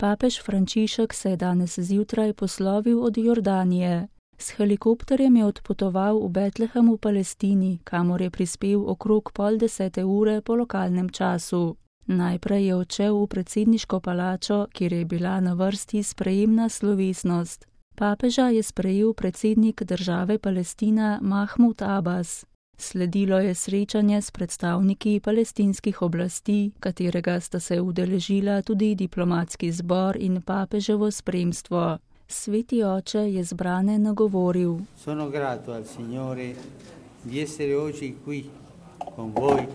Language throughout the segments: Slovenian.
Papež Frančišek se je danes zjutraj poslovil od Jordanije. S helikopterjem je odpotoval v Betlehem v Palestini, kamor je prispel okrog 9:30 po lokalnem času. Najprej je odšel v predsedniško palačo, kjer je bila na vrsti sprejemna slovesnost. Papeža je sprejel predsednik države Palestina Mahmud Abbas. Sledilo je srečanje s predstavniki palestinskih oblasti, katerega sta se udeležila tudi diplomatski zbor in papeževo spremstvo. Sveti oče je zbrane nagovoril. Sono grato al Signore di essere oggi qui con voi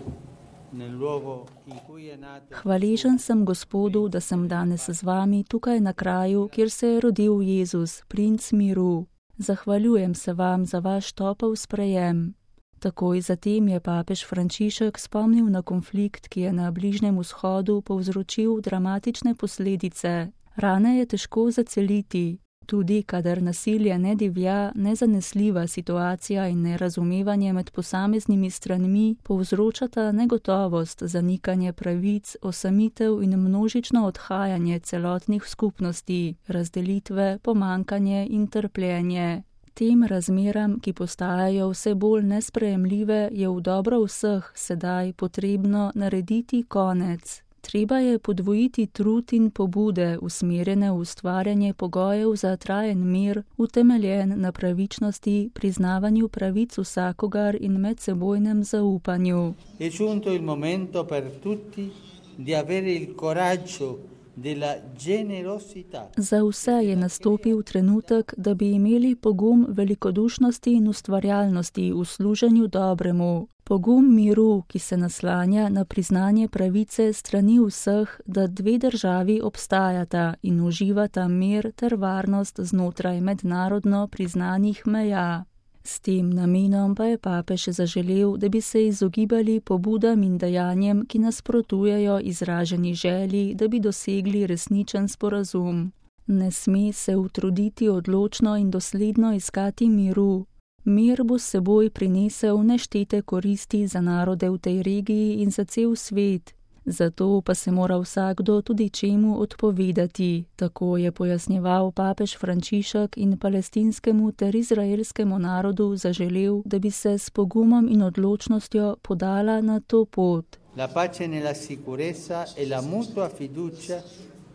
nel luogo in cui è nato. Hvaležen sem Gospodu, da sem danes z vami tukaj na kraju, kjer se je rodil Jezus, princ miru. Zahvaljujem se vam za vaš topel sprejem. Takoj zatem je papež Frančišek spomnil na konflikt, ki je na Bližnjem vzhodu povzročil dramatične posledice. Rane je težko zaceliti. Tudi kadar nasilje ne divja, nezanesljiva situacija in nerazumevanje med posameznimi stranmi povzročata negotovost, zanikanje pravic, osamitev in množično odhajanje celotnih skupnosti, razdelitve, pomankanje in trpljenje. Tem razmeram, ki postajajo vse bolj nesprejemljive, je v dobro vseh sedaj potrebno narediti konec. Treba je podvojiti trud in pobude, usmerjene v ustvarjanje pogojev za trajen mir, utemeljen na pravičnosti, priznavanju pravic vsakogar in medsebojnem zaupanju. È giunto il momento per tutti di avere il coraggio della generosità. Za vse je nastopil trenutek, da bi imeli pogum velikodušnosti in ustvarjalnosti v služenju dobremu. Pogum miru, ki se naslanja na priznanje pravice strani vseh, da dve državi obstajata in uživata mir ter varnost znotraj mednarodno priznanih meja. S tem namenom pa je papež zaželel, da bi se izogibali pobudam in dejanjem, ki nasprotujejo izraženi želji, da bi dosegli resničen sporazum. Ne sme se utruditi odločno in dosledno iskati miru. Mir bo s seboj prinesel neštete koristi za narode v tej regiji in za cel svet. Zato pa se mora vsakdo tudi čemu odpovedati, tako je pojasnjeval papež Frančišek in palestinskemu ter izraelskemu narodu zaželel, da bi se s pogumom in odločnostjo podala na to pot. La pace nella sicurezza e la mutua fiducia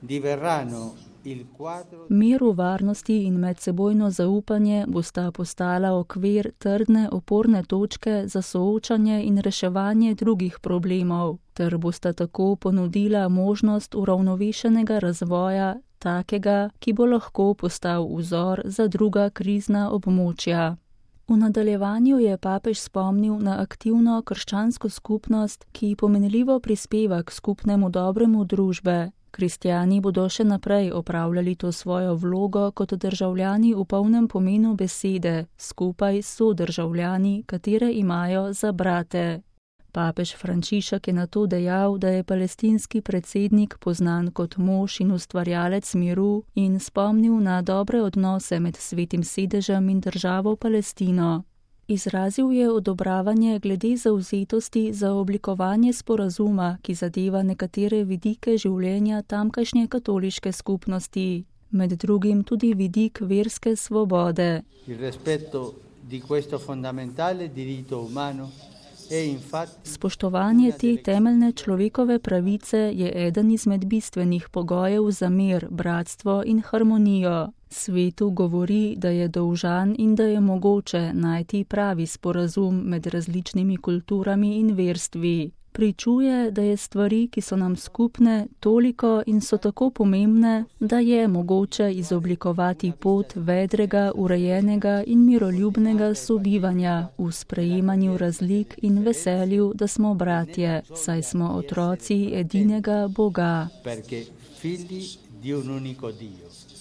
diverranno il quadro. Mir v varnosti in medsebojno zaupanje bosta postala okvir trdne oporne točke za soočanje in reševanje drugih problemov, ter bosta tako ponudila možnost uravnovešenega razvoja, takega, ki bo lahko postal vzor za druga krizna območja. V nadaljevanju je papež spomnil na aktivno krščansko skupnost, ki pomenljivo prispeva k skupnemu dobremu družbe. Kristjani bodo še naprej opravljali to svojo vlogo kot državljani v polnem pomenu besede, skupaj s sodržavljani, katere imajo za brate. Papež Frančišek je nato dejal, da je palestinski predsednik poznan kot mož in ustvarjalec miru in spomnil na dobre odnose med Svetim sedežem in državo Palestino. Izrazil je odobravanje glede zavzetosti za oblikovanje sporazuma, ki zadeva nekatere vidike življenja tamkajšnje katoliške skupnosti, med drugim tudi vidik verske svobode. Il rispetto di questo fondamentale diritto umano è infatti. Spoštovanje te temeljne človekove pravice je eden izmed bistvenih pogojev za mir, bratstvo in harmonijo. Svetu govori, da je dolžan in da je mogoče najti pravi sporazum med različnimi kulturami in verstvi. Pričuje, da je stvari, ki so nam skupne, toliko in so tako pomembne, da je mogoče izoblikovati pot vedrega, urejenega in miroljubnega sobivanja v sprejemanju razlik in veselju, da smo bratje, saj smo otroci edinega Boga. Perché figli di un unico Dio.